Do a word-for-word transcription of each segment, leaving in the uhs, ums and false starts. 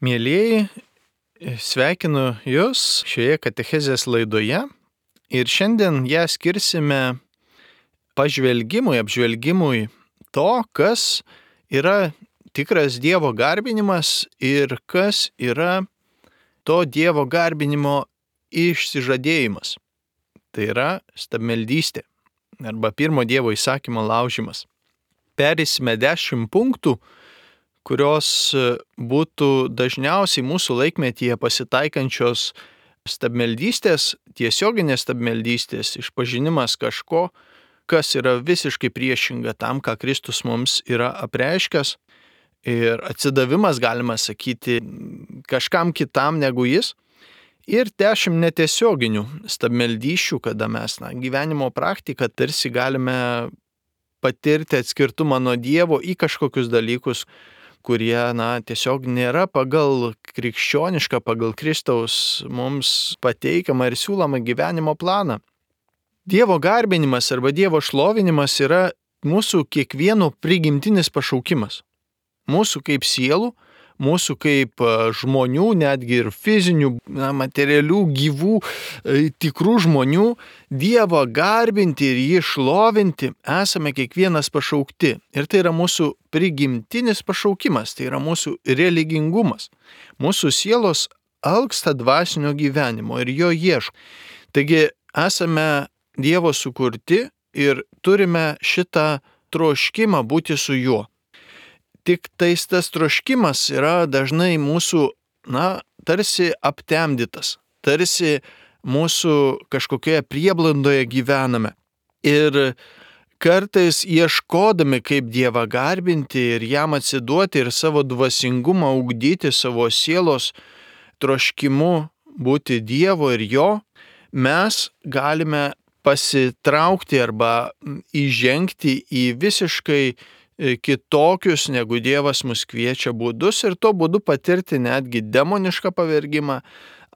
Mielieji, sveikinu Jūs šioje katechezės laidoje ir šiandien ją skirsime pažvelgimui, apžvelgimui to, kas yra tikras Dievo garbinimas ir kas yra to Dievo garbinimo išsižadėjimas. Tai yra stabmeldystė arba pirmo Dievo įsakymo laužimas. Perėsime dešimt punktų, kurios būtų dažniausiai mūsų laikmetyje pasitaikančios stabmeldystės, tiesioginės stabmeldystės, išpažinimas kažko, kas yra visiškai priešinga tam, ką Kristus mums yra apreiškęs, ir atsidavimas, galima sakyti, kažkam kitam negu jis, ir dešimt netiesioginių stabmeldysčių, kada mes na, gyvenimo praktiką tarsi galime patirti atskirtumą nuo Dievo į kažkokius dalykus, kurie na, tiesiog nėra pagal krikščionišką, pagal Kristaus mums pateikiamą ir siūlomą gyvenimo planą. Dievo garbinimas arba Dievo šlovinimas yra mūsų kiekvieno prigimtinis pašaukimas. Mūsų kaip sielų, mūsų kaip žmonių, netgi ir fizinių, na, materialių, gyvų, tikrų žmonių, Dievą garbinti ir jį šlovinti esame kiekvienas pašaukti. Ir tai yra mūsų prigimtinis pašaukimas, tai yra mūsų religingumas. Mūsų sielos alksta dvasinio gyvenimo ir jo ieško. Taigi esame Dievo sukurti ir turime šitą troškimą būti su juo. Tik tais tas troškimas yra dažnai mūsų, na, tarsi aptemdytas, tarsi mūsų kažkokioje prieblandoje gyvename. Ir kartais ieškodami, kaip Dievą garbinti ir jam atsiduoti ir savo dvasingumą ugdyti, savo sielos troškimu būti Dievo ir jo, mes galime pasitraukti arba įžengti į visiškai kitokius, negu Dievas mus kviečia būdus ir to būdu patirti netgi demonišką pavergimą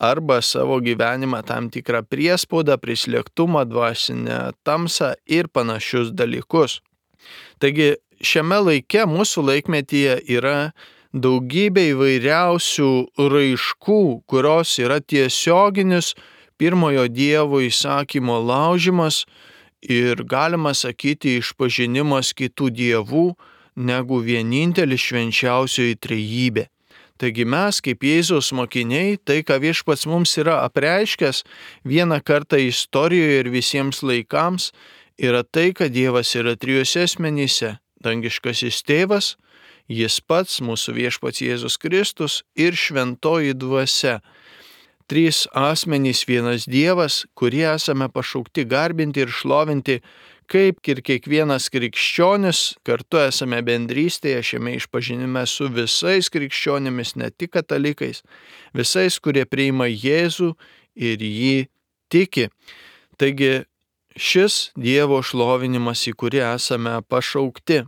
arba savo gyvenimą tam tikrą priespaudą, prislėgtumą, dvasinę tamsą ir panašius dalykus. Taigi šiame laike, mūsų laikmetyje yra daugybė įvairiausių raiškų, kurios yra tiesioginis pirmojo Dievo įsakymo laužimas ir galima sakyti išpažinimas kitų dievų negu vienintelis švenčiausioji trejybė. Taigi mes, kaip Jėzaus mokiniai, tai, ką Viešpats mums yra apreiškęs vieną kartą istorijoje ir visiems laikams, yra tai, kad Dievas yra trijose asmenyse – dangiškasis Tėvas, Jis pats, mūsų Viešpats Jėzus Kristus ir šventoji dvasia. Trys asmenys, vienas Dievas, kurie esame pašaukti garbinti ir šlovinti, kaip ir kiekvienas krikščionis, kartu esame bendrystėje šiame išpažinime su visais krikščionimis, ne tik katalikais, visais, kurie priima Jėzų ir jį tiki. Taigi šis Dievo šlovinimas, į kurį esame pašaukti.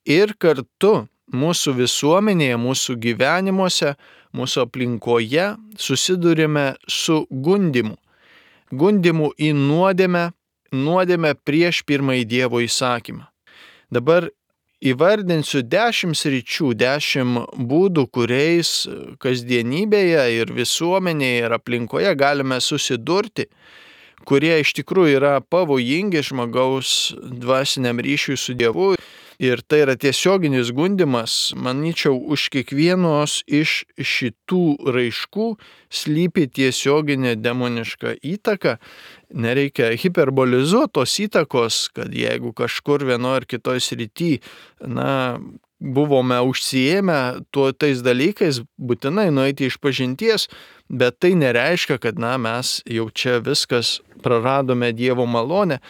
Ir kartu mūsų visuomenėje, mūsų gyvenimuose, mūsų aplinkoje susidurime su gundymu. Gundymu į nuodėmę, nuodėmę prieš pirmąjį Dievo įsakymą. Dabar įvardinsiu dešimt sričių, dešimt būdų, kuriais kasdienybėje ir visuomenėje ir aplinkoje galime susidurti, kurie iš tikrųjų yra pavojingi žmogaus dvasiniam ryšiui su Dievu. Ir tai yra tiesioginis gundymas, manyčiau, už kiekvienos iš šitų raiškų slypi tiesioginė demoniška įtaka. Nereikia hiperbolizuoti tos įtakos, kad jeigu kažkur vienoje ar kitoje srityje, na, buvome užsiėmę tuo tais dalykais, būtinai nueiti iš pažinties, bet tai nereiškia, kad na, mes jau čia viskas praradome Dievo malonę.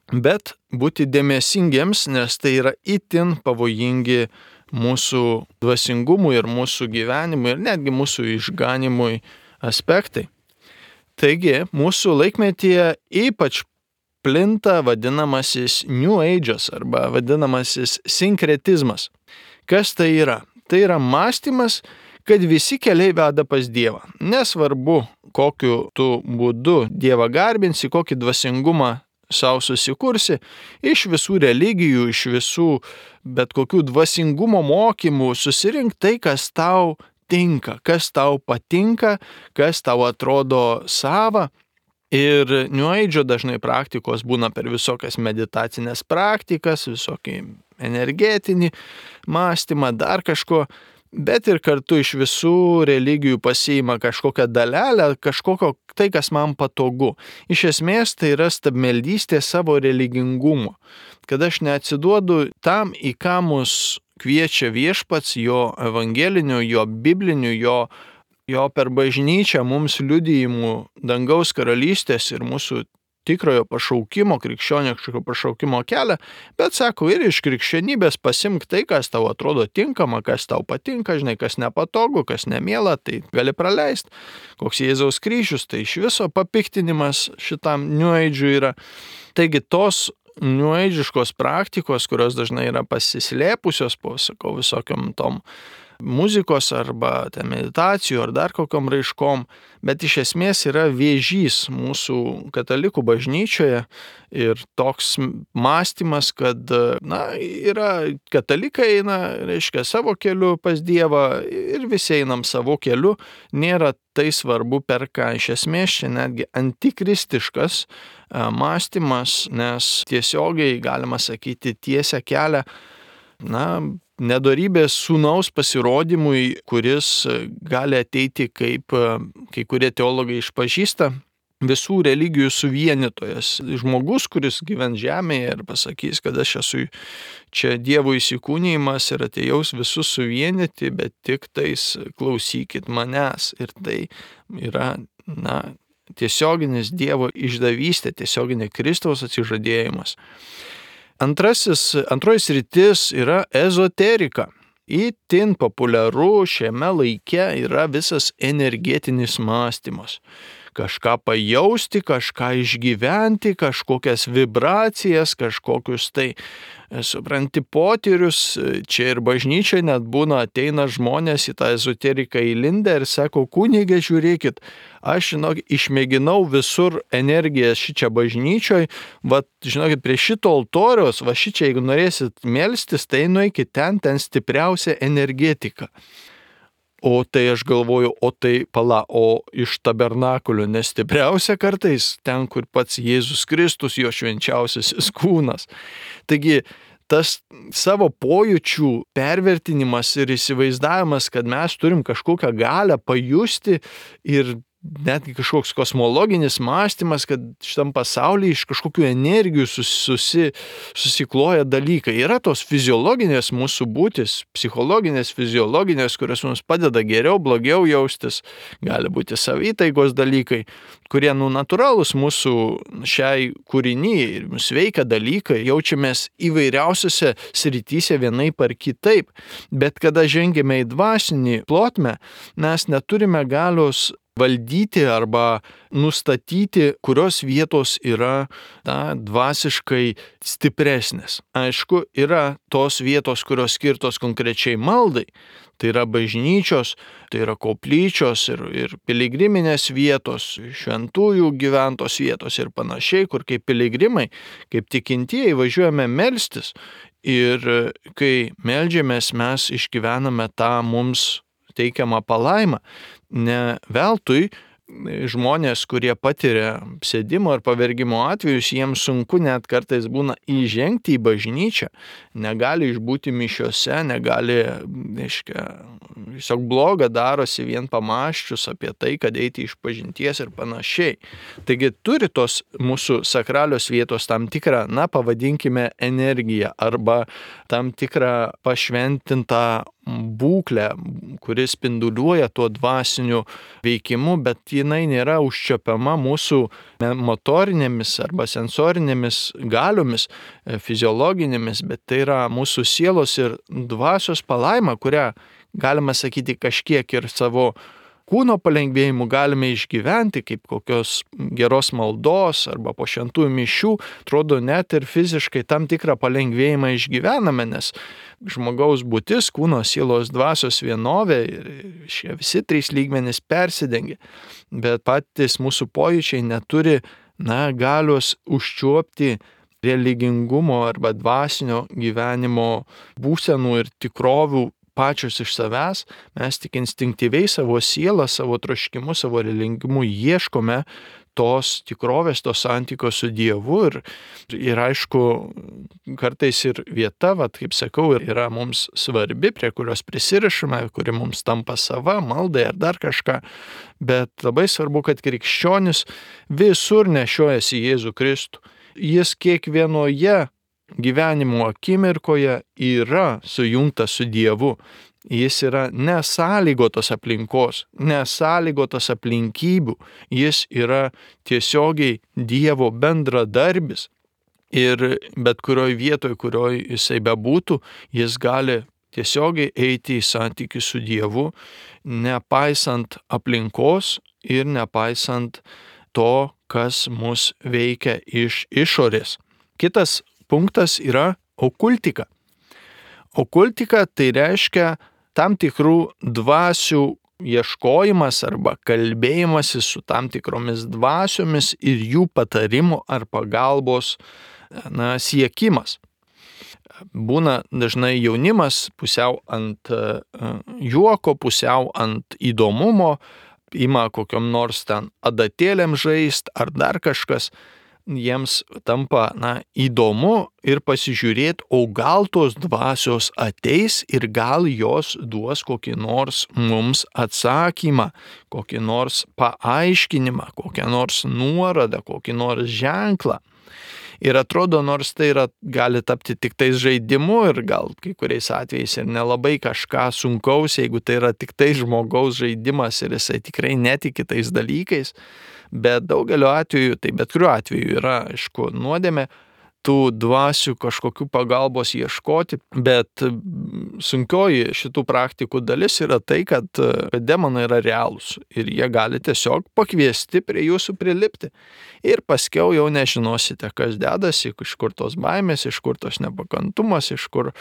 Bet būti dėmesingiems, nes tai yra itin pavojingi mūsų dvasingumui ir mūsų gyvenimui ir netgi mūsų išganimui aspektai. Taigi, mūsų laikmetyje ypač plinta vadinamasis New Age'as arba vadinamasis sinkretizmas. Kas tai yra? Tai yra mąstymas, kad visi keliai veda pas Dievą. Nesvarbu, kokiu tu būdu Dievą garbinsi, kokį dvasingumą sau susikursi, iš visų religijų, iš visų bet kokių dvasingumo mokymų susirink tai, kas tau tinka, kas tau patinka, kas tau atrodo sava. Ir New Age dažnai praktikos būna per visokias meditacinės praktikas, visokį energetinį mąstymą, dar kažko, bet ir kartu iš visų religijų pasiima kažkokią dalelę, kažkokio tai, kas man patogu. Iš esmės tai yra stabmeldystė savo religingumo, kad aš neatsiduodu tam, į ką mus kviečia viešpats, jo evangeliniu, jo bibliniu, jo jo per bažnyčią mums liudijimų dangaus karalystės ir mūsų tikrojo pašaukimo, krikščioniško pašaukimo kelią, bet sako, ir iš krikščionybės pasimk tai, kas tau atrodo tinkama, kas tau patinka, žinai, kas nepatogu, kas nemiela, tai gali praleisti. Koks Jėzaus kryžius, tai iš viso papiktinimas šitam New Age'ui yra. Taigi tos New Age'iškos praktikos, kurios dažnai yra pasislėpusios po, sakau, visokiam tom muzikos arba meditacijų ar dar kokiom raiškom, bet iš esmės yra vėžys mūsų katalikų bažnyčioje ir toks mąstymas, kad na, yra katalikai eina, reiškia, savo keliu pas Dievą ir visi einam savo keliu, nėra tai svarbu per ką. Iš esmės čia netgi antikristiškas mąstymas, nes tiesiogiai galima sakyti tiesia kelią, na, nedorybės sūnaus pasirodymui, kuris gali ateiti, kaip kai kurie teologai išpažįsta, visų religijų suvienytojas. Žmogus, kuris gyvens žemėje ir pasakys, kad aš esu čia Dievo įsikūnijimas ir atėjaus visus suvienyti, bet tik tais klausykit manęs. Ir tai yra, na, tiesioginis Dievo išdavystė, tiesioginė Kristaus atsižadėjimas. Antrasis, antroji sritis yra ezoterika. Itin populiaru šiame laike yra visas energetinis mąstymas. Kažką pajausti, kažką išgyventi, kažkokias vibracijas, kažkokius tai, supranti, potyrius. Čia ir bažnyčiai net būna, ateina žmonės į tą ezoteriką įlindę ir sako, kunige, žiūrėkit, aš, žinok, išmėginau visur energiją šičia bažnyčioj, va, žinokit, prie šito altoriaus, va šičia, jeigu norėsit melstis, tai nueikit ten, ten stipriausia energetika. O tai aš galvoju, o tai pala, o iš tabernakulio nestipriausia kartais, ten, kur pats Jėzus Kristus, jo švenčiausiasis kūnas. Taigi, tas savo pojūčių pervertinimas ir įsivaizdavimas, kad mes turim kažkokią galią pajusti ir netgi kažkoks kosmologinis mąstymas, kad šitam pasaulyje iš kažkokių energijų susi, susikloja dalykai. Yra tos fiziologinės mūsų būtis, psichologinės, fiziologinės, kurios mums padeda geriau, blogiau jaustis, gali būti savytaigos dalykai, kurie, nu, natūralūs mūsų šiai kūrinyje ir mūsų veikia dalykai, jaučiamės įvairiausiose srityse vienaip ar kitaip, bet kada žengėme į dvasinį plotmę, mes neturime galios valdyti arba nustatyti, kurios vietos yra, na, dvasiškai stipresnės. Aišku, yra tos vietos, kurios skirtos konkrečiai maldai. Tai yra bažnyčios, tai yra koplyčios ir, ir piligriminės vietos, šventųjų gyventos vietos ir panašiai, kur kaip piligrimai, kaip tikintieji važiuojame melstis. Ir kai meldžiamės, mes išgyvename tą mums teikiamą palaimą. Ne veltui žmonės, kurie patiria sėdimo ir pavergimo atvejus, jiems sunku net kartais būna įžengti į bažnyčią, negali išbūti mišiose, negali, reiškia, tiesiog bloga darosi vien pamąsčius apie tai, kad eiti iš pažinties ir panašiai. Taigi turi tos mūsų sakralios vietos tam tikrą, na, pavadinkime, energiją arba tam tikrą pašventintą būklę, kuris spinduliuoja tuo dvasiniu veikimu, bet jinai nėra užčiopiama mūsų motorinėmis arba sensorinėmis galiomis, fiziologinėmis, bet tai yra mūsų sielos ir dvasios palaima, kurią galima sakyti kažkiek ir savo kūno palengvėjimu galime išgyventi, kaip kokios geros maldos arba po šventųjų mišių, atrodo net ir fiziškai tam tikrą palengvėjimą išgyvename, nes žmogaus būtis, kūno, sielos, dvasios vienovė ir šie visi trys lygmenys persidengia, bet patys mūsų pojūčiai neturi, na, galios užčiuopti religingumo arba dvasinio gyvenimo būsenų ir tikrovių pačios iš savęs, mes tik instinktyviai savo sielą, savo troškimu, savo relingimu ieškome tos tikrovės, tos santykio su Dievu ir, ir aišku, kartais ir vieta, vat, kaip sakau, yra mums svarbi, prie kurios prisirišame, kuri mums tampa sava, maldai ar dar kažką, bet labai svarbu, kad krikščionis visur nešiojasi Jėzų Kristų. Jis kiekvienoje gyvenimo akimirkoje yra sujungtas su Dievu. Jis yra nesąlygotos aplinkos, nesąlygotos aplinkybių. Jis yra tiesiogiai Dievo bendradarbis. Ir bet kurioj vietoj, kurioj jisai bebūtų, jis gali tiesiogiai eiti į santykį su Dievu, nepaisant aplinkos ir nepaisant to, kas mus veikia iš išorės. Kitas punktas yra okultika. Okultika tai reiškia tam tikrų dvasių ieškojimas arba kalbėjimasis su tam tikromis dvasiomis ir jų patarimų ar pagalbos na, siekimas. Būna dažnai jaunimas pusiau ant juoko, pusiau ant įdomumo, ima kokiom nors ten adatėlėm žaist ar dar kažkas. Jiems tampa na, įdomu ir pasižiūrėti, o gal tos dvasios ateis ir gal jos duos kokį nors mums atsakymą, kokį nors paaiškinimą, kokią nors nuorodą, kokį nors ženklą. Ir atrodo, nors tai yra, gali tapti tik tais žaidimu ir gal kai kuriais atvejais ir nelabai kažką sunkaus, jeigu tai yra tik tai žmogaus žaidimas ir jisai tikrai netiki tais dalykais, bet daugeliu atveju, tai bet kuriuo atveju yra, aišku, nuodėmė tų dvasių kažkokių pagalbos ieškoti, bet sunkioji šitų praktikų dalis yra tai, kad demonai yra realūs ir jie gali tiesiog pakviesti prie jūsų prilipti ir paskiau jau nežinosite, kas dedasi, iš kur tos baimės, iš kur tos nepakantumas, iš kur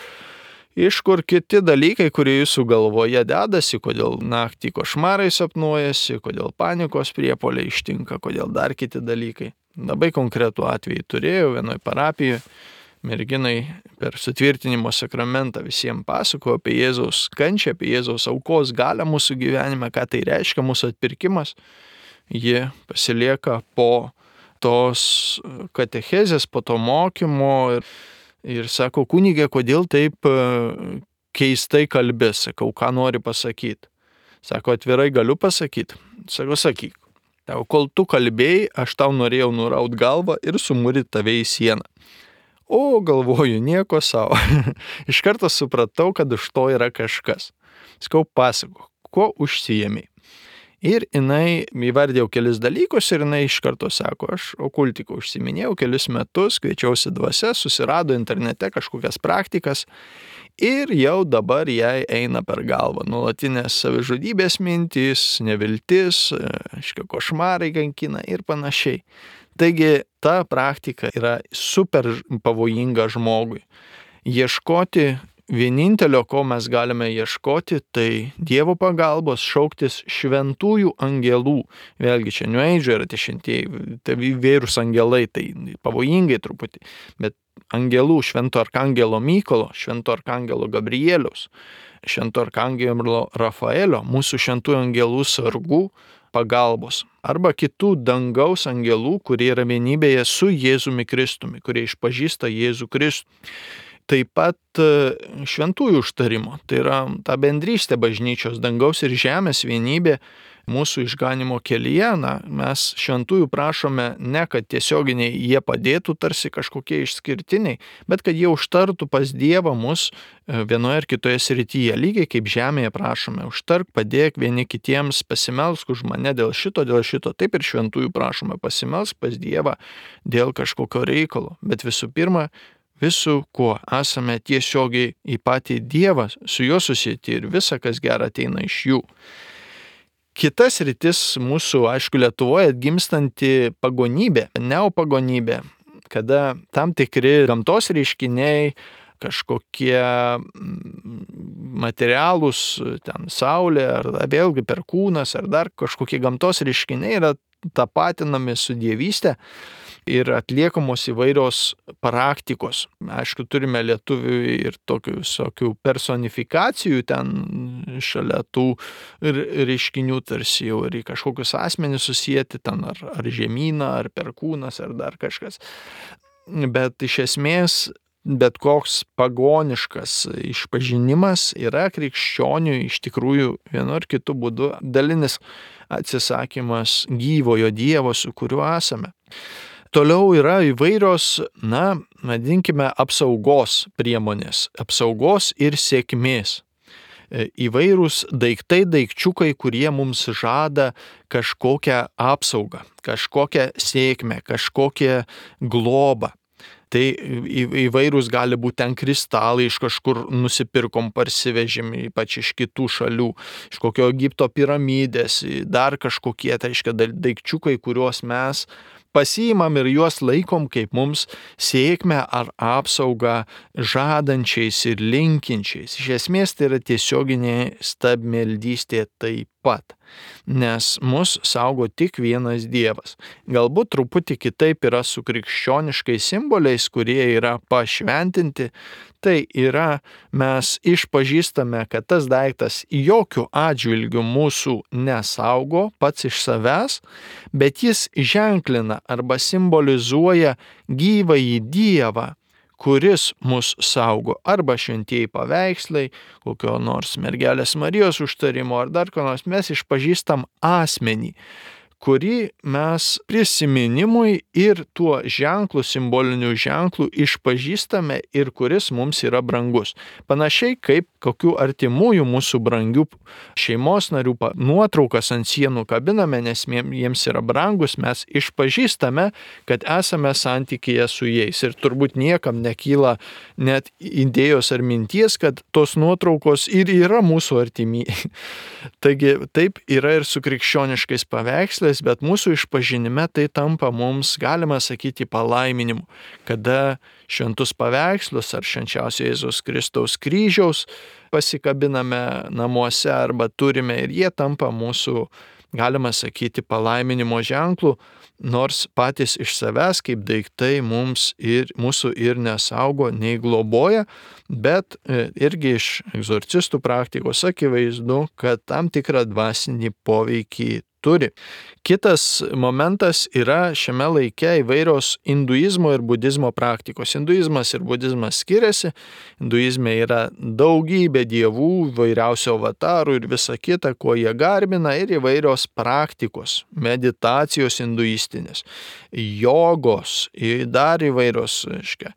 Iš kur kiti dalykai, kurie jūsų galvoje dedasi, kodėl naktį košmarai sapnuojasi, kodėl panikos priepuoliai ištinka, kodėl dar kiti dalykai. Labai konkretų atvejį turėjau vienoj parapijoje, merginai per sutvirtinimo sakramentą visiems pasakojo apie Jėzaus kančią, apie Jėzaus aukos galią mūsų gyvenime, ką tai reiškia mūsų atpirkimas. Ji pasilieka po tos katechezės, po to mokymo ir Ir sako, kunigė, kodėl taip keistai kalbi, sakau, ką nori pasakyti. Sako, atvirai galiu pasakyti. Sako, sakyk. Tau, kol tu kalbėjai, aš tau norėjau nuraut galvą ir sumūryti tave į sieną. O, galvoju, nieko savo. Iš karto supratau, kad už to yra kažkas. Sakau, pasako, kuo užsijėmei. Ir jinai įvardėjau kelis dalykus ir jinai iš karto sako, aš okultiku užsiminėjau kelis metus, kviečiausi dvasia, susirado internete kažkokias praktikas ir jau dabar jai eina per galvą nuolatinės savižudybės mintys, neviltis, aiškiai, košmarai kankina ir panašiai. Taigi ta praktika yra super pavojinga žmogui. Ieškoti vienintelio, ko mes galime ieškoti, tai Dievo pagalbos, šauktis šventųjų angelų. Vėlgi čia New Age yra tie šventieji, tai įvairūs angelai, tai pavojingai truputį, bet angelų, švento arkangelo Mykolo, švento arkangelo Gabrieliaus, švento arkangelo Rafaelio, mūsų šventųjų angelų sargų pagalbos. Arba kitų dangaus angelų, kurie yra vienybėje su Jėzumi Kristumi, kurie išpažįsta Jėzų Kristų. Taip pat šventųjų užtarimo, tai yra ta bendrystė bažnyčios, dangaus ir žemės vienybė mūsų išganimo kelyje. Na, mes šventųjų prašome ne, kad tiesioginiai jie padėtų tarsi kažkokie išskirtiniai, bet kad jie užtartų pas Dievą mus vienoje ar kitoje srityje. Lygiai kaip žemėje prašome, užtark, padėk vieni kitiems, pasimelsk už mane dėl šito, dėl šito. Taip ir šventųjų prašome, pasimelsk pas Dievą dėl kažkokio reikalo. Bet visų pirma, visų, kuo esame tiesiogiai į patį Dievą, su juo susieti ir visa, kas gera ateina iš jų. Kitas rytis mūsų, aišku, Lietuvoje atgimstanti pagonybė, neopagonybė, kada tam tikri gamtos reiškiniai, kažkokie materialūs, ten saulė, ar vėlgi perkūnas, ar dar kažkokie gamtos reiškiniai yra tapatinami su dievystė. ir atliekamos įvairios praktikos. Aišku, turime lietuvių ir tokių visokių personifikacijų ten šalia tų reiškinių, tarsi jau ir į kažkokius asmenis susijęti ten, ar, ar žemyną, ar perkūnas, ar dar kažkas. Bet iš esmės bet koks pagoniškas išpažinimas yra krikščionių iš tikrųjų vienu ar kitu būdu dalinis atsisakymas gyvojo Dievo, su kuriuo esame. Toliau yra įvairios, na, vadinkime, apsaugos priemonės, apsaugos ir sėkmės. Įvairūs daiktai, daikčiukai, kurie mums žada kažkokią apsaugą, kažkokią sėkmę, kažkokią globą. Tai įvairūs gali būti ten kristalai, iš kažkur nusipirkom, parsivežim, ypač iš kitų šalių, iš kokio Egipto piramidės, dar kažkokie, tai reiškia, daikčiukai, kuriuos mes pasiimam ir juos laikom kaip mums sėkmę ar apsaugą žadančiais ir linkinčiais. Iš esmės tai yra tiesioginė stabmeldystė taip pat, nes mus saugo tik vienas Dievas. Galbūt truputį kitaip yra su krikščioniškais simboliais, kurie yra pašventinti. Tai yra, mes išpažįstame, kad tas daiktas jokių atžvilgių mūsų nesaugo pats iš savęs, bet jis ženklina arba simbolizuoja gyvąjį Dievą, kuris mus saugo, arba šventieji paveikslai, kokio nors mergelės Marijos užtarimo, ar dar ko nors, mes išpažįstam asmenį, kurį mes prisiminimui ir tuo ženklu, simboliniu ženklu išpažįstame ir kuris mums yra brangus. Panašiai kaip kokių artimųjų mūsų brangių šeimos narių nuotraukas ant sienų kabiname, nes jiems yra brangus, mes išpažįstame, kad esame santykyje su jais. Ir turbūt niekam nekyla net idėjos ar minties, kad tos nuotraukos ir yra mūsų artimieji. Taigi taip yra ir su krikščioniškais paveikslais, bet mūsų išpažinime tai tampa mums, galima sakyti, palaiminimu, kada šventus paveikslus ar švenčiausio Jėzaus Kristaus kryžiaus pasikabiname namuose arba turime ir jie tampa mūsų, galima sakyti, palaiminimo ženklų, nors patys iš savęs kaip daiktai mums ir mūsų ir nesaugo, nei globoja, bet irgi iš egzorcistų praktikos akivaizdu, kad tam tikrą dvasinį poveikį turi. Kitas momentas yra šiame laike įvairios hinduizmo ir budizmo praktikos. Hinduizmas ir budizmas skiriasi. Hinduizme yra daugybė dievų, įvairiausių avatarų ir visa kita, ko jie garbina, ir įvairios praktikos, meditacijos hinduistinės, jogos, dar įvairios, reiškia.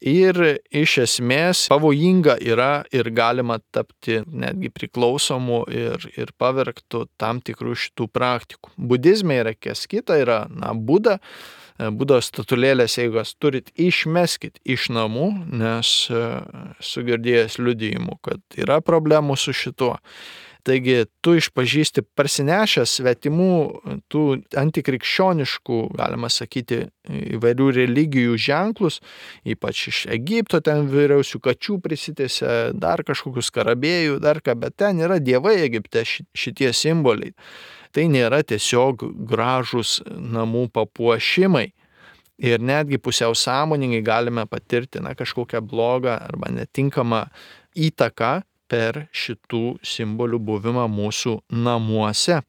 Ir iš esmės pavojinga yra ir galima tapti netgi priklausomu ir, ir pavergtų tam tikrų šitų praktikų. Budizme yra kas kita, yra na, Buda. Budos statulėlės, jeigu jūs turit, išmeskit iš namų, nes esu girdėjęs liudijimų, kad yra problemų su šituo. Taigi tu išpažįsti parsinešęs svetimų, tų antikrikščioniškų, galima sakyti, įvairių religijų ženklus, ypač iš Egipto ten vyriausių kačių prisitėse, dar kažkokius skarabėjų, dar ką, bet ten yra dievai Egipte šitie simboliai. Tai nėra tiesiog gražus namų papuošimai. Ir netgi pusiau sąmoningai galime patirti na, kažkokią blogą arba netinkamą įtaką per šitų simbolių buvimą mūsų namuose.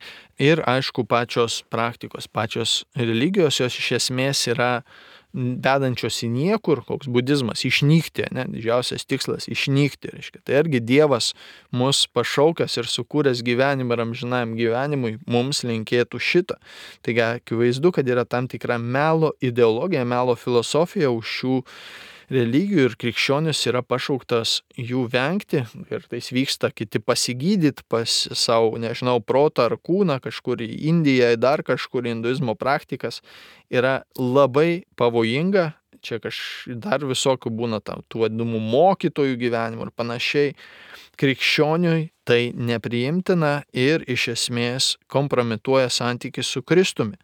Ir aišku, pačios praktikos, pačios religijos, jos iš esmės yra vedančios į niekur, koks budizmas, išnykti, ne, didžiausias tikslas - išnykti, reiškia. Tai argi Dievas mus pašaukęs ir sukūręs gyvenimą ir amžinajam gyvenimui, mums linkėtų šitą. Taigi, akivaizdu, kad yra tam tikra melo ideologija, melo filosofija už šių religijų ir krikščionis yra pašauktas jų vengti ir tai vyksta kiti pasigydyti pas savo, nežinau, protą ar kūną kažkur į Indiją, dar kažkur hinduizmo praktikas yra labai pavojinga. Čia kaž dar visokių būna tam, tų vadinamų mokytojų gyvenimų ir panašiai. Krikščioniui tai nepriimtina ir iš esmės kompromituoja santykį su Kristumi.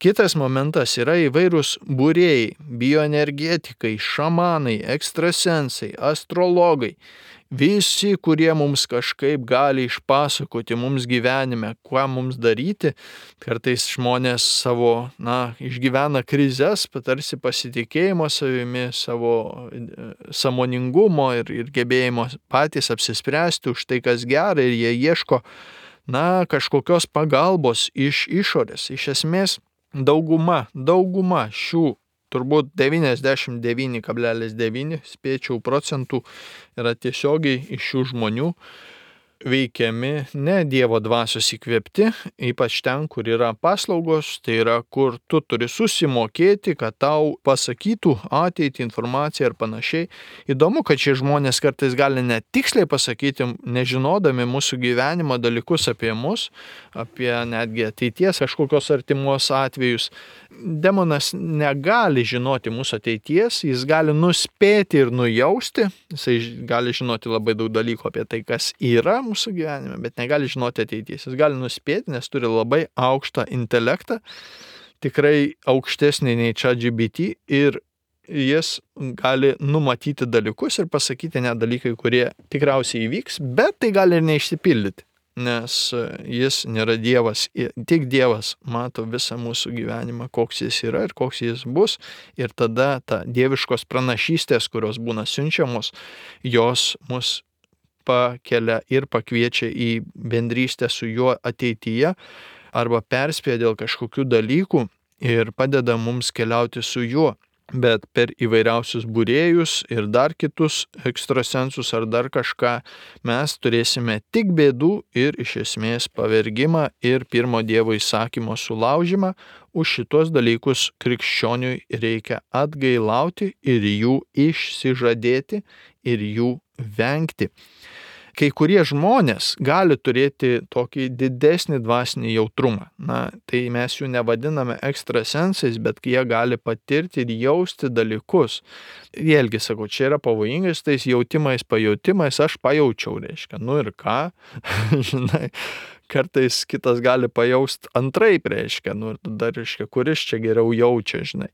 Kitas momentas yra įvairūs būrėjai, bioenergetikai, šamanai, ekstrasensai, astrologai. visi, kurie mums kažkaip gali išpasakoti mums gyvenime, ką mums daryti. Kartais žmonės savo, na, išgyvena krizes, tarsi pasitikėjimo savimi, savo sąmoningumo ir, ir gebėjimo patys apsispręsti už tai, kas gera, ir jie ieško, na, kažkokios pagalbos iš išorės. Iš esmės, dauguma, dauguma šių, turbūt devyniasdešimt devyni kablelis devyni spėčiau procentų yra tiesiogiai iš šių žmonių veikiami ne Dievo dvasios įkvėpti, ypač ten, kur yra paslaugos, tai yra, kur tu turi susimokėti, kad tau pasakytų ateitį, informaciją ir panašiai. Įdomu, kad šie žmonės kartais gali net tiksliai pasakyti, nežinodami mūsų gyvenimo dalykus apie mus, apie netgi ateities kažkokios artimos atvejus. Demonas negali žinoti mūsų ateities, jis gali nuspėti ir nujausti, jisai gali žinoti labai daug dalykų apie tai, kas yra mūsų gyvenime, bet negali žinoti ateities. Jis gali nuspėti, nes turi labai aukštą intelektą, tikrai aukštesnį nei ChatGPT, ir jis gali numatyti dalykus ir pasakyti net dalykai, kurie tikriausiai įvyks, bet tai gali ir neišsipildyti, nes jis nėra Dievas, tik Dievas mato visą mūsų gyvenimą, koks jis yra ir koks jis bus, ir tada ta dieviškos pranašystės, kurios būna siunčiamos, jos mus pakelia ir pakviečia į bendrystę su juo ateityje, arba perspėja dėl kažkokių dalykų ir padeda mums keliauti su juo. Bet per įvairiausius būrėjus ir dar kitus ekstrasensus ar dar kažką mes turėsime tik bėdų ir iš esmės pavergimą ir pirmo Dievo įsakymo sulaužymą. Už šitos dalykus krikščioniui reikia atgailauti ir jų išsižadėti ir jų vengti. Kai kurie žmonės gali turėti tokį didesnį dvasinį jautrumą. Na, tai mes jų nevadiname ekstrasensais, bet jie gali patirti ir jausti dalykus. Vėlgi, sakau, čia yra pavojingas tais jautimais, pajautimais, aš pajaučiau, reiškia, nu ir ką, žinai, kartais kitas gali pajausti antraip, reiškia, nu ir tada, reiškia, kuris čia geriau jaučia, žinai.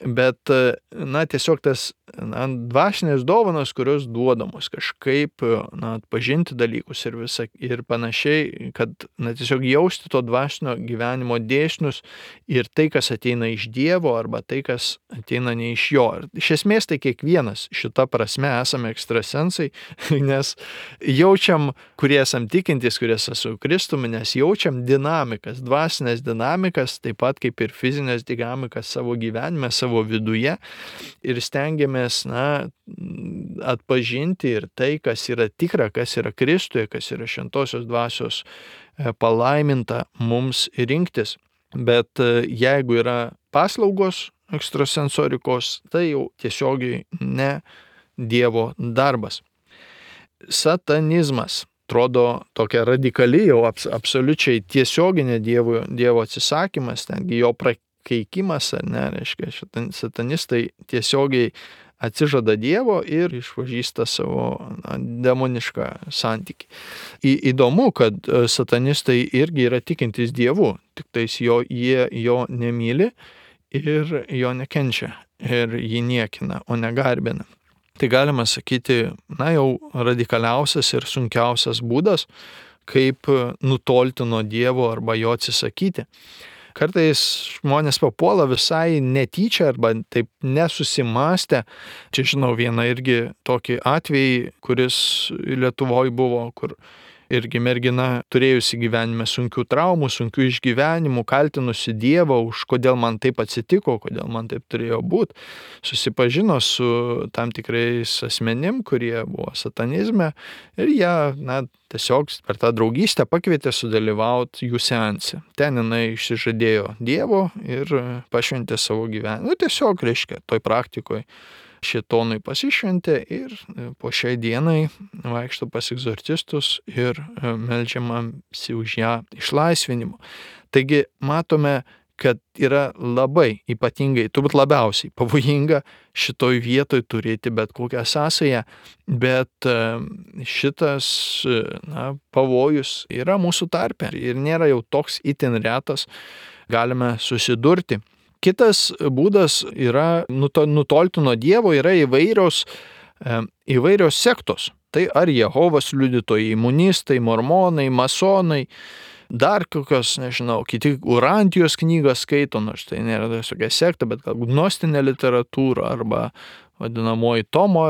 Bet, na, tiesiog tas, na, dvasinės dovanos, kurios duodamos kažkaip, na, atpažinti dalykus ir visa, ir panašiai, kad, na, tiesiog jausti to dvasinio gyvenimo dėsnius ir tai, kas ateina iš Dievo, arba tai, kas ateina ne iš jo. Ir iš esmės tai kiekvienas šita prasme esame ekstrasensai, nes jaučiam, kurie esam tikintys, kurie esame su Kristumi, nes jaučiam dinamikas, dvasinės dinamikas, taip pat kaip ir fizinės dinamikas savo gyvenime, savo viduje, ir stengiamės, na, atpažinti ir tai, kas yra tikra, kas yra Kristuje, kas yra šventosios dvasios palaiminta mums rinktis. Bet jeigu yra paslaugos ekstrasensorikos, tai jau tiesiogiai ne Dievo darbas. Satanizmas atrodo tokia radikali, jau abs, absoliučiai tiesioginė Dievo, Dievo atsisakymas, tengi jo prakeikimas, Keikimas, ar ne, reiškia, satanistai tiesiogiai atsižada Dievo ir išpažįsta savo, na, demonišką santykį. Į, įdomu, kad satanistai irgi yra tikintys Dievu, tik tais jo, jie jo nemyli ir jo nekenčia ir jį niekina, o negarbina. Tai galima sakyti, na, jau radikaliausias ir sunkiausias būdas, kaip nutolti nuo Dievo arba jo atsisakyti. Kartais žmonės papuola visai netyčia arba taip nesusimastę. Čia žinau vieną irgi tokį atvejį, kuris Lietuvoje buvo, kur irgi mergina turėjusi gyvenime sunkių traumų, sunkių išgyvenimų, kaltinusi Dievą už kodėl man taip atsitiko, kodėl man taip turėjo būti. Susipažino su tam tikrais asmenim, kurie buvo satanizme, ir jie, na, tiesiog per tą draugystę pakvietė sudalyvauti jų seanse. Ten jinai išsižadėjo Dievo ir pašventė savo gyvenimą. Nu, tiesiog, reiškia, toj praktikoje šėtonui pasišventė ir po šiai dienai vaikšto pas egzorcistus ir meldžiamasi už ją išlaisvinimo. Taigi matome, kad yra labai ypatingai, turbūt labiausiai pavojinga šitoj vietoj turėti bet kokią sąsają, bet šitas, na, pavojus yra mūsų tarpe ir nėra jau toks itin retas, galime susidurti. Kitas būdas yra nutolti nuo Dievo, yra įvairios, įvairios sektos. Tai ar Jehovos liudytojai, imunistai, mormonai, masonai, dar kokios, nežinau, kiti Urantijos knygas skaito, nors tai nėra tokia sekta, bet galbūt gnostinė literatūra arba vadinamoji Tomo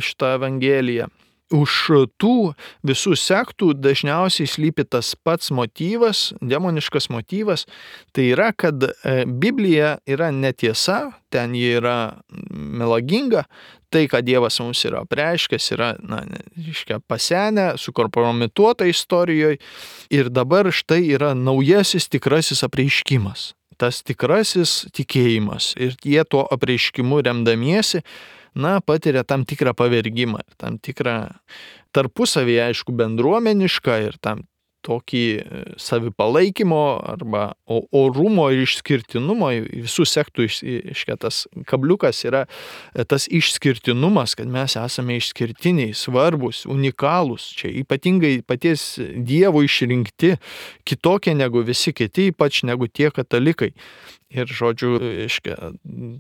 šitą evangeliją. Už tų visų sektų dažniausiai slypi tas pats motyvas, demoniškas motyvas, tai yra, kad Biblija yra netiesa, ten ji yra melaginga, tai, ką Dievas mums yra apreiškęs, yra, na, reiškia, pasenę, sukompromituota istorijoje ir dabar štai yra naujasis tikrasis apreiškimas, tas tikrasis tikėjimas ir jie tuo apreiškimu remdamiesi, na, patiria tam tikrą pavergimą, tam tikrą tarpusavį, aišku, bendruomenišką ir tam tokį savipalaikymo arba orumo ir išskirtinumo, visų sektų išketas kabliukas yra tas išskirtinumas, kad mes esame išskirtiniai, svarbus, unikalūs, čia ypatingai paties Dievo išrinkti, kitokie negu visi kiti, ypač negu tie katalikai. Ir, žodžiu, iškia,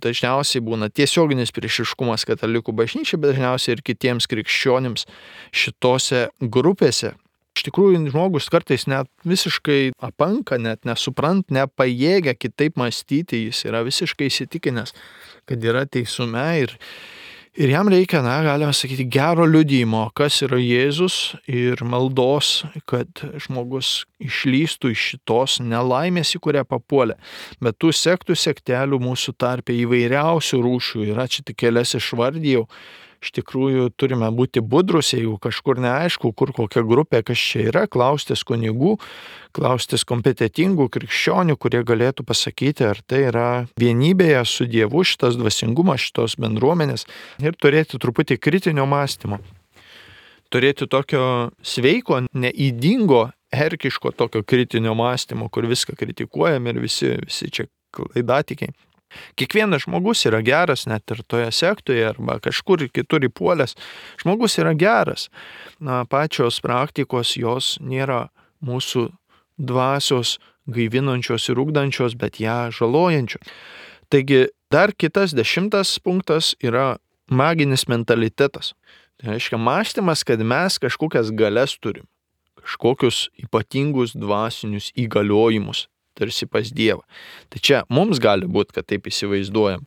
dažniausiai būna tiesioginis priešiškumas katalikų bažnyčiai, bet dažniausiai ir kitiems krikščionims šitose grupėse. Iš tikrųjų, žmogus kartais net visiškai apanka, net nesuprant, nepajėgia kitaip mąstyti, jis yra visiškai įsitikinęs, kad yra teisume ir, ir jam reikia, na, galima sakyti, gero liudijimo, kas yra Jėzus ir maldos, kad žmogus išlystų iš šitos nelaimės, į kurią papuolė. Bet tų sektų sektelių mūsų tarpe įvairiausių rūšių yra, čia tik kelias išvardijau. Iš tikrųjų, turime būti budrus, jeigu kažkur neaišku, kur kokia grupė, kas čia yra, klaustis kunigų, klaustis kompetitingų krikščionių, kurie galėtų pasakyti, ar tai yra vienybėje su Dievu šitas dvasingumas, šitos bendruomenės ir turėti truputį kritinio mąstymo. Turėti tokio sveiko, neįdingo, herkiško tokio kritinio mąstymo, kur viską kritikuojam ir visi, visi čia klaidatikiai. Kiekvienas žmogus yra geras, net ir toje sektoje arba kažkur kitur įpuolęs. Žmogus yra geras. Na, pačios praktikos jos nėra mūsų dvasios gaivinančios ir ugdančios, bet ją žalojančios. Taigi, dar kitas dešimtas punktas yra maginis mentalitetas. Tai reiškia mąstymas, kad mes kažkokias galias turim, kažkokius ypatingus dvasinius įgaliojimus. Tarsi pas Dievą. Tai čia mums gali būti, kad taip įsivaizduojam.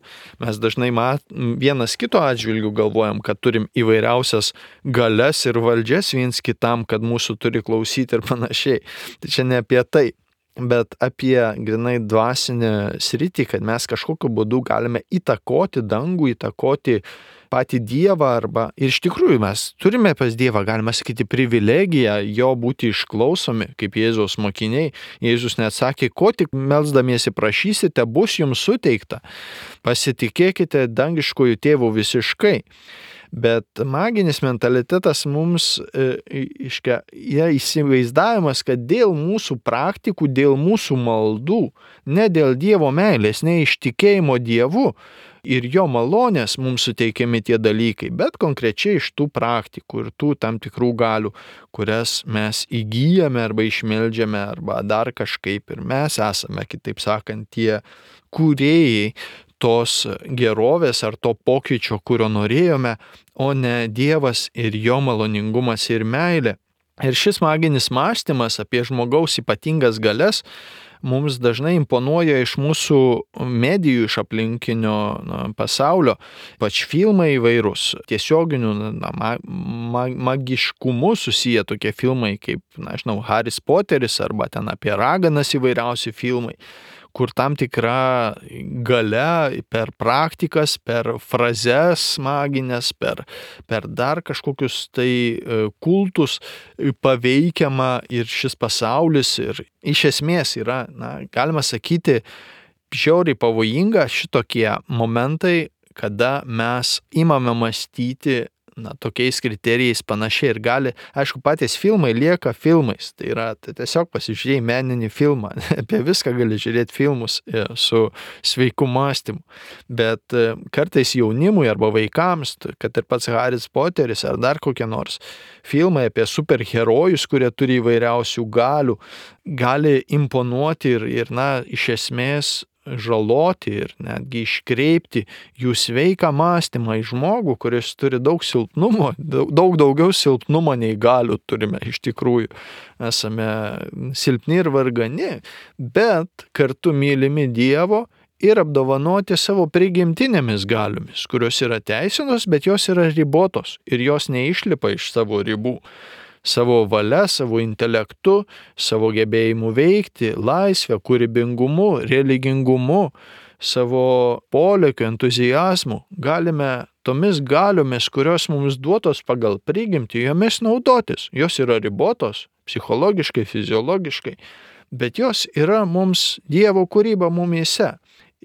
Mes dažnai mat, vienas kito atžvilgių galvojam, kad turim įvairiausias galias ir valdžias viens kitam, kad mūsų turi klausyti ir panašiai. Tai čia ne apie tai, bet apie grinai dvasinę sritį, kad mes kažkokiu būdu galime įtakoti dangų, įtakoti patį Dievą arba ir iš tikrųjų mes turime pas Dievą, galima sakyti, privilegiją jo būti išklausomi, kaip Jėzaus mokiniai. Jėzus net sakė, ko tik melsdamiesi prašysite, bus jums suteikta. Pasitikėkite dangiškojų tėvų visiškai. Bet maginis mentalitetas mums e, iškia, yra įsivaizdavimas, kad dėl mūsų praktikų, dėl mūsų maldų, ne dėl Dievo meilės, ne iš tikėjimo Dievu, ir jo malonės mums suteikiami tie dalykai, bet konkrečiai iš tų praktikų ir tų tam tikrų galių, kurias mes įgyjame arba išmeldžiame arba dar kažkaip ir mes esame, kitaip sakant, tie kūrėjai tos gerovės ar to pokyčio, kurio norėjome, o ne Dievas ir jo maloningumas ir meilė. Ir šis maginis mąstymas apie žmogaus ypatingas galias mums dažnai imponuoja iš mūsų medijų, iš aplinkinio na, pasaulio, pač filmai įvairūs, tiesioginių na, ma, ma, magiškumu susiję tokie filmai kaip, na, žinau, Haris Poteris arba ten apie raganas įvairiausi filmai, kur tam tikra galia per praktikas, per frazes maginės, per, per dar kažkokius tai kultus paveikiama ir šis pasaulis ir iš esmės yra, na, galima sakyti, žiauriai pavojinga šitokie momentai, kada mes imame mąstyti na, tokiais kriterijais panašiai ir gali, aišku, patys filmai lieka filmais, tai yra tai tiesiog pasižiūrėjai meninį filmą, apie viską gali žiūrėti filmus su sveiku mąstymu, bet kartais jaunimui arba vaikams, kad ir pats Haris Poteris ar dar kokie nors filmai apie superherojus, kurie turi įvairiausių galių, gali imponuoti ir, ir na, iš esmės žaloti ir netgi iškreipti jų sveiką mąstymą į žmogų, kuris turi daug silpnumo, daug daugiau silpnumo nei galių turime iš tikrųjų. Esame silpni ir vargani, bet kartu mylimi Dievo ir apdovanoti savo prigimtinėmis galiomis, kurios yra teisinos, bet jos yra ribotos ir jos neišlipa iš savo ribų. Savo valia, savo intelektu, savo gebėjimu veikti, laisvę, kūrybingumu, religingumu, savo polėkiu, entuzijazmu galime tomis galiomis, kurios mums duotos pagal prigimtį, jomis naudotis. Jos yra ribotos, psichologiškai, fiziologiškai, bet jos yra mums Dievo kūryba mumyse.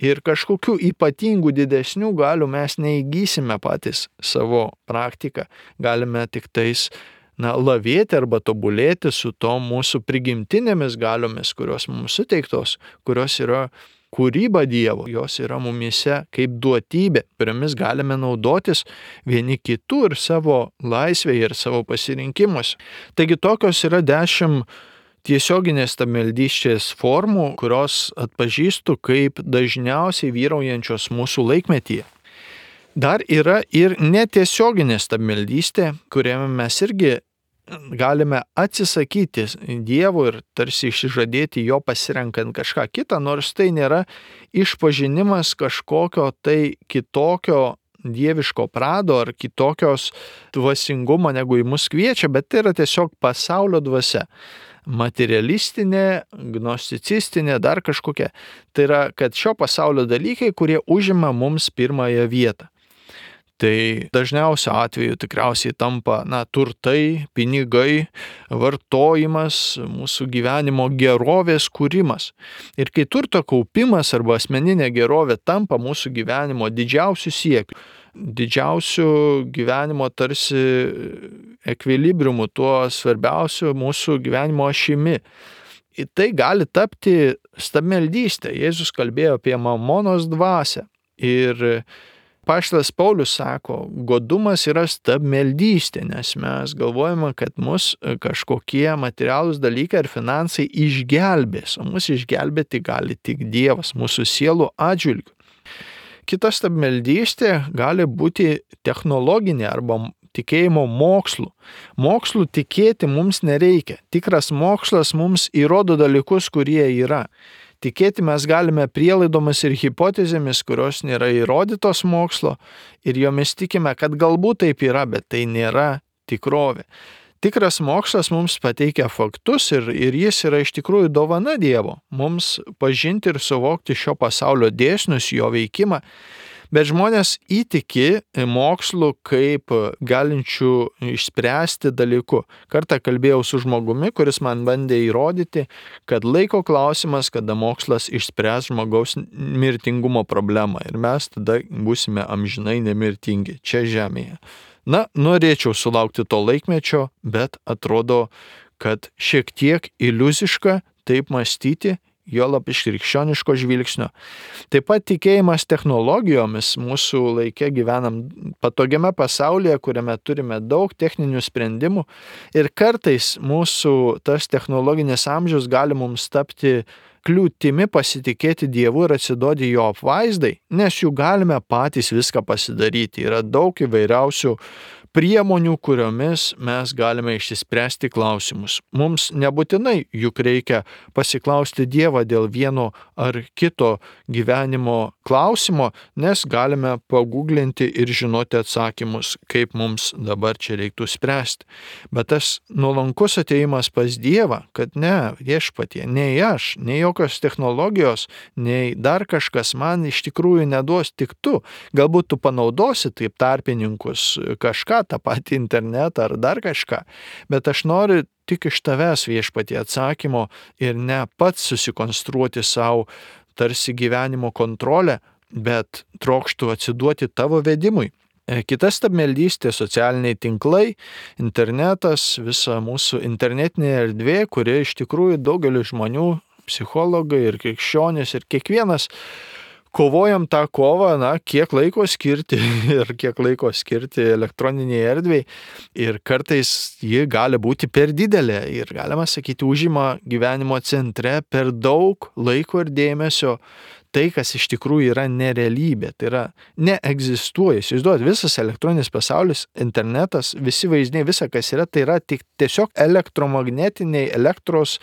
Ir kažkokių ypatingų didesnių galių mes neįgysime patys savo praktiką. Galime tik tais na, lavėti arba tobulėti su to mūsų prigimtinėmis galiomis, kurios mums suteiktos, kurios yra kūryba Dievo, jos yra mumyse kaip duotybė, kuriomis galime naudotis vieni kitų ir savo laisvėje ir savo pasirinkimuose. Taigi tokios yra dešimt tiesioginės stabmeldystės formų, kurios atpažįstu kaip dažniausiai vyraujančios mūsų laikmetyje. Dar yra ir netiesioginė stabmeldystė, kuriame mes irgi galime atsisakyti Dievo ir tarsi išsižadėti jo pasirenkant kažką kitą, nors tai nėra išpažinimas kažkokio tai kitokio dieviško prado ar kitokios dvasingumo, negu į mus kviečia, bet tai yra tiesiog pasaulio dvasia. Materialistinė, gnosticistinė, dar kažkokia. Tai yra, kad šio pasaulio dalykai, kurie užima mums pirmąją vietą. Tai dažniausiu atveju tikriausiai tampa na, turtai, pinigai, vartojimas, mūsų gyvenimo gerovės kūrimas. Ir kai turto kaupimas arba asmeninė gerovė tampa mūsų gyvenimo didžiausių siekių, didžiausių gyvenimo tarsi ekvilibriumu, tuo svarbiausiu mūsų gyvenimo ašimi. Ir tai gali tapti stabmeldystė. Jėzus kalbėjo apie mamonos dvasią. Ir Apaštalas Paulius sako, godumas yra stabmeldystė, nes mes galvojame, kad mus kažkokie materialūs dalykai ar finansai išgelbės, o mus išgelbėti gali tik Dievas mūsų sielų atžvilgiu. Kita stabmeldystė gali būti technologinė arba tikėjimo mokslu. Mokslu tikėti mums nereikia. Tikras mokslas mums įrodo dalykus, kurie yra. Tikėti mes galime prielaidomis ir hipotezėmis, kurios nėra įrodytos mokslo, ir jomis tikime, kad galbūt taip yra, bet tai nėra tikrovė. Tikras mokslas mums pateikia faktus ir, ir jis yra iš tikrųjų dovana Dievo, mums pažinti ir suvokti šio pasaulio dėsnius, jo veikimą, bet žmonės įtiki mokslu kaip galinčių išspręsti dalyku. Kartą kalbėjau su žmogumi, kuris man bandė įrodyti, kad laiko klausimas, kada mokslas išspręs žmogaus mirtingumo problemą ir mes tada būsime amžinai nemirtingi čia žemėje. Na, norėčiau sulaukti to laikmečio, bet atrodo, kad šiek tiek iliuziška taip mąstyti, juolab iš krikščioniško žvilgsnio. Taip pat tikėjimas technologijomis, mūsų laike gyvenam patogiame pasaulyje, kuriame turime daug techninių sprendimų ir kartais mūsų tas technologinis amžius gali mums tapti kliūtimi pasitikėti Dievu ir atsiduoti jo apvaizdai, nes jų galime patys viską pasidaryti. Yra daug įvairiausių priemonių, kuriomis mes galime išsispręsti klausimus. Mums nebūtinai juk reikia pasiklausti Dievą dėl vieno ar kito gyvenimo klausimo, nes galime paguglinti ir žinoti atsakymus, kaip mums dabar čia reiktų spręsti. Bet tas nuolankus atėjimas pas Dievą, kad ne, viešpatie, nei aš, nei jokios technologijos, nei dar kažkas man iš tikrųjų neduos, tik tu. Galbūt tu panaudosi taip tarpininkus kažką, tą patį internetą ar dar kažką, bet aš noriu tik iš tavęs viešpatie atsakymo ir ne pats susikonstruoti savo tarsi gyvenimo kontrolę, bet trokštų atsiduoti tavo vedimui. Kita stabmeldystė, socialiniai tinklai, internetas, visa mūsų internetinė erdvė, kuri iš tikrųjų daugeliu žmonių, psichologai ir krikščionys ir kiekvienas, kovojam tą kovą, na, kiek laiko skirti ir kiek laiko skirti elektroniniai erdvei. Ir kartais ji gali būti per didelė ir, galima sakyti, užima gyvenimo centre per daug laiko ir dėmesio. Tai, kas iš tikrųjų yra nerealybė, tai yra neegzistuoja. Įsivaizduojat, visas elektroninis pasaulis, internetas, visi vaizdiniai, visa, kas yra, tai yra tik tiesiog elektromagnetiniai elektros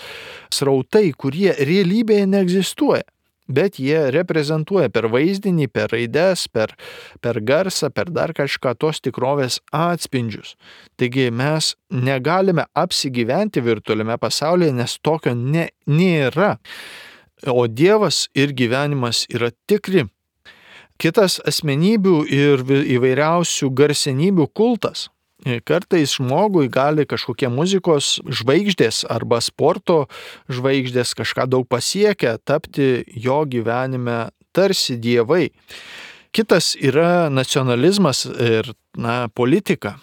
srautai, kurie realybėje neegzistuoja. Bet jie reprezentuoja per vaizdinį, per raides, per, per garsą, per dar kažką tos tikrovės atspindžius. Taigi mes negalime apsigyventi virtualiame pasaulyje, nes tokio ne, nėra. O Dievas ir gyvenimas yra tikri. Kitas asmenybių ir įvairiausių garsenybių kultas. Kartais žmogui gali kažkokie muzikos žvaigždės arba sporto žvaigždės kažką daug pasiekę tapti jo gyvenime tarsi dievai. Kitas yra nacionalizmas ir, na, politika.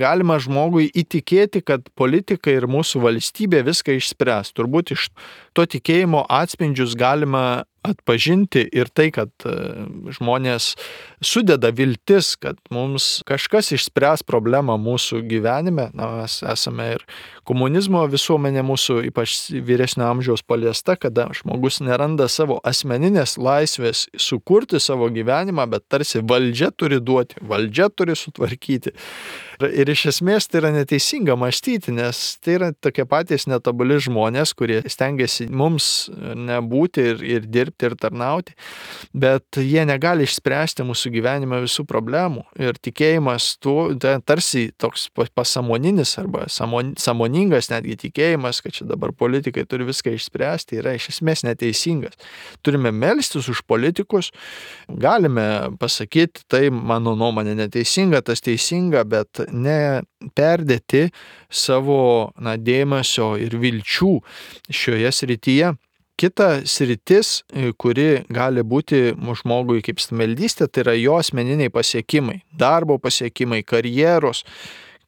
Galima žmogui įtikėti, kad politika ir mūsų valstybė viską išspręs. Turbūt iš to tikėjimo atspindžius galima atpažinti ir tai, kad žmonės sudeda viltis, kad mums kažkas išspręs problemą mūsų gyvenime. Na, mes esame ir komunizmo visuomenė mūsų, ypač vyresnio amžiaus paliesta, kada žmogus neranda savo asmeninės laisvės sukurti savo gyvenimą, bet tarsi valdžia turi duoti, valdžia turi sutvarkyti. Ir iš esmės tai yra neteisinga mąstyti, nes tai yra tokie patys netobuli žmonės, kurie stengiasi mums nebūti ir, ir dirbti ir tarnauti, bet jie negali išspręsti mūsų gyvenime visų problemų. Ir tikėjimas tuo, tai tarsi toks pasamoninis arba samoningas netgi tikėjimas, kad čia dabar politikai turi viską išspręsti, yra iš esmės neteisingas. Turime melstis už politikus, galime pasakyti, tai mano nuomonė neteisinga, tas teisinga, bet ne perdėti savo, na, dėmesio ir vilčių šioje srityje. Kita sritis, kuri gali būti žmogui kaip stabmeldystė, tai yra jo asmeniniai pasiekimai, darbo pasiekimai, karjeros,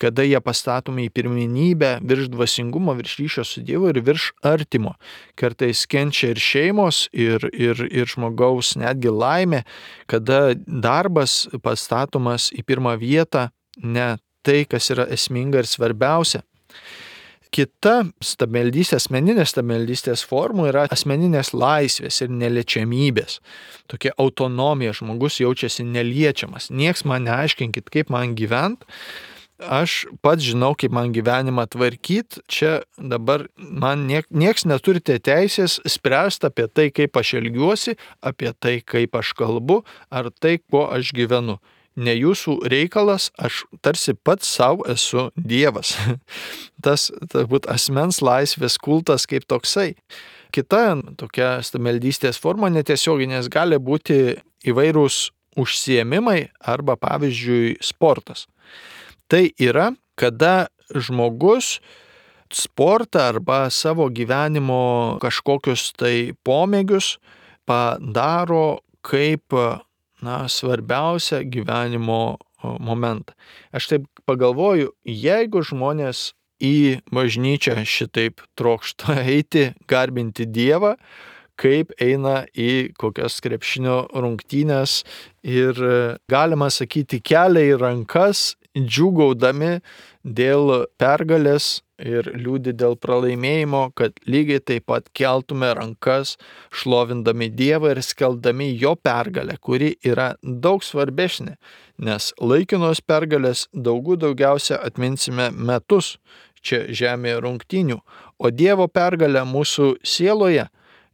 kada jie pastatomi į pirmenybę virš dvasingumo, virš ryšio su Dievu ir virš artimo. Kartais kenčia ir šeimos, ir, ir, ir žmogaus netgi laimė, kada darbas pastatomas į pirmą vietą, ne tai, kas yra esminga ir svarbiausia. Kita stabmeldystės, asmeninės stabmeldystės formų yra asmeninės laisvės ir neliečiamybės. Tokia autonomija, žmogus jaučiasi neliečiamas. Nieks man neaiškinkit, kaip man gyvent. Aš pats žinau, kaip man gyvenimą tvarkyti. Čia dabar man niek, nieks neturite teisės spręsti apie tai, kaip aš elgiuosi, apie tai, kaip aš kalbu, ar tai, kuo aš gyvenu. Ne jūsų reikalas, aš tarsi pats savo esu Dievas. Tas, turbūt, asmens laisvės kultas kaip toksai. Kita tokia stabmeldystės forma netiesioginės gali būti įvairūs užsiėmimai arba, pavyzdžiui, sportas. Tai yra, kada žmogus sportą arba savo gyvenimo kažkokius tai pomėgius padaro kaip, na, svarbiausia gyvenimo momentą. Aš taip pagalvoju, jeigu žmonės į bažnyčią šitaip trokšta eiti, garbinti Dievą, kaip eina į kokias krepšinio rungtynes ir, galima sakyti, kelia į rankas, džiūgaudami dėl pergalės ir liūdi dėl pralaimėjimo, kad lygiai taip pat keltume rankas, šlovindami Dievą ir skelbdami jo pergalę, kuri yra daug svarbesnė, nes laikinos pergalės daugų daugiausia atminsime metus čia žemėje rungtynių, o Dievo pergalę mūsų sieloje,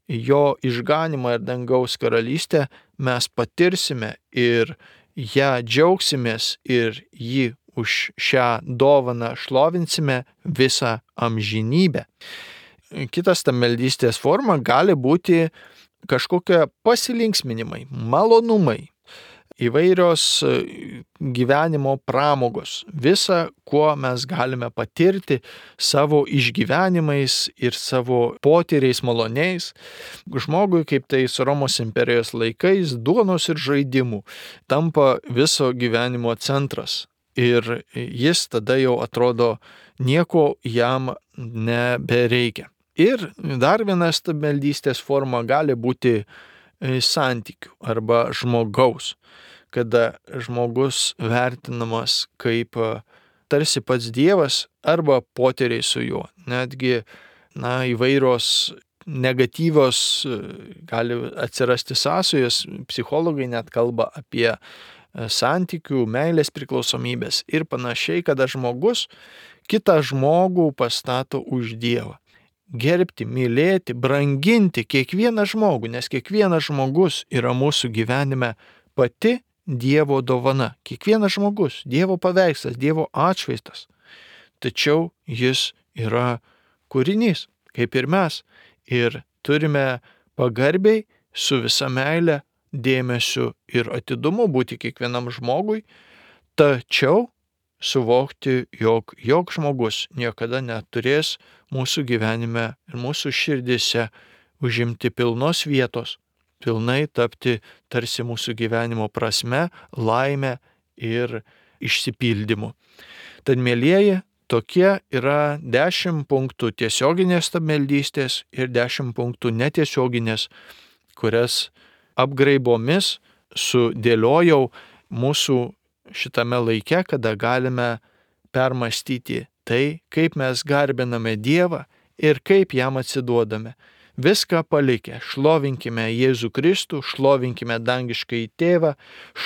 jo išganimą ir dangaus karalystę mes patirsime ir ją džiaugsimės ir jį už šią dovaną šlovinsime visą amžinybę. Kitas stabmeldystės forma gali būti kažkokie pasilinksminimai, malonumai, įvairios gyvenimo pramogos, visa, kuo mes galime patirti savo išgyvenimais ir savo potyriais maloniais. Žmogui, kaip tai su Romos imperijos laikais, duonos ir žaidimų tampa viso gyvenimo centras. Ir jis tada jau atrodo nieko jam nebereikia. Ir dar viena stabmeldystės forma gali būti santykių arba žmogaus, kada žmogus vertinamas kaip tarsi pats Dievas arba poteriai su juo. Netgi na, įvairios negatyvios gali atsirasti sąsajos, psichologai net kalba apie santykių, meilės priklausomybės ir panašiai, kada žmogus kitą žmogų pastato už Dievą. Gerbti, mylėti, branginti kiekvieną žmogų, nes kiekvienas žmogus yra mūsų gyvenime pati Dievo dovana. Kiekvienas žmogus, Dievo paveikslas, Dievo atšvaizdas. Tačiau jis yra kūrinys, kaip ir mes. Ir turime pagarbiai su visa meile, dėmesiu ir atidumu būti kiekvienam žmogui, tačiau suvokti, jog jok žmogus niekada neturės mūsų gyvenime ir mūsų širdise užimti pilnos vietos, pilnai tapti tarsi mūsų gyvenimo prasme, laime ir išsipildymu. Tad, mielieji, tokie yra dešimt punktų tiesioginės stabmeldystės ir dešimt punktų netiesioginės, kurias apgraibomis sudėliojau mūsų šitame laike, kada galime permastyti tai, kaip mes garbiname Dievą ir kaip jam atsiduodame. Viską palikę, šlovinkime Jėzų Kristų, šlovinkime dangiškąjį Tėvą,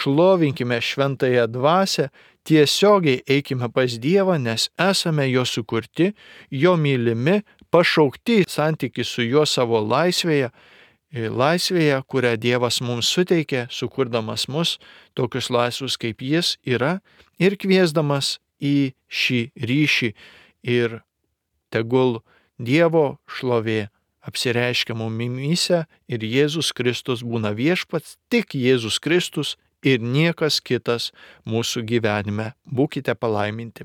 šlovinkime šventąją dvasią, tiesiogiai eikime pas Dievą, nes esame jo sukurti, jo mylimi, pašaukti santykiai su juo savo laisvėje, laisvėje, kurią Dievas mums suteikė, sukurdamas mus tokius laisvus kaip jis yra ir kviesdamas į šį ryšį. Ir tegul Dievo šlovė apsireiškia mumyse ir Jėzus Kristus būna viešpats, tik Jėzus Kristus ir niekas kitas mūsų gyvenime. Būkite palaiminti.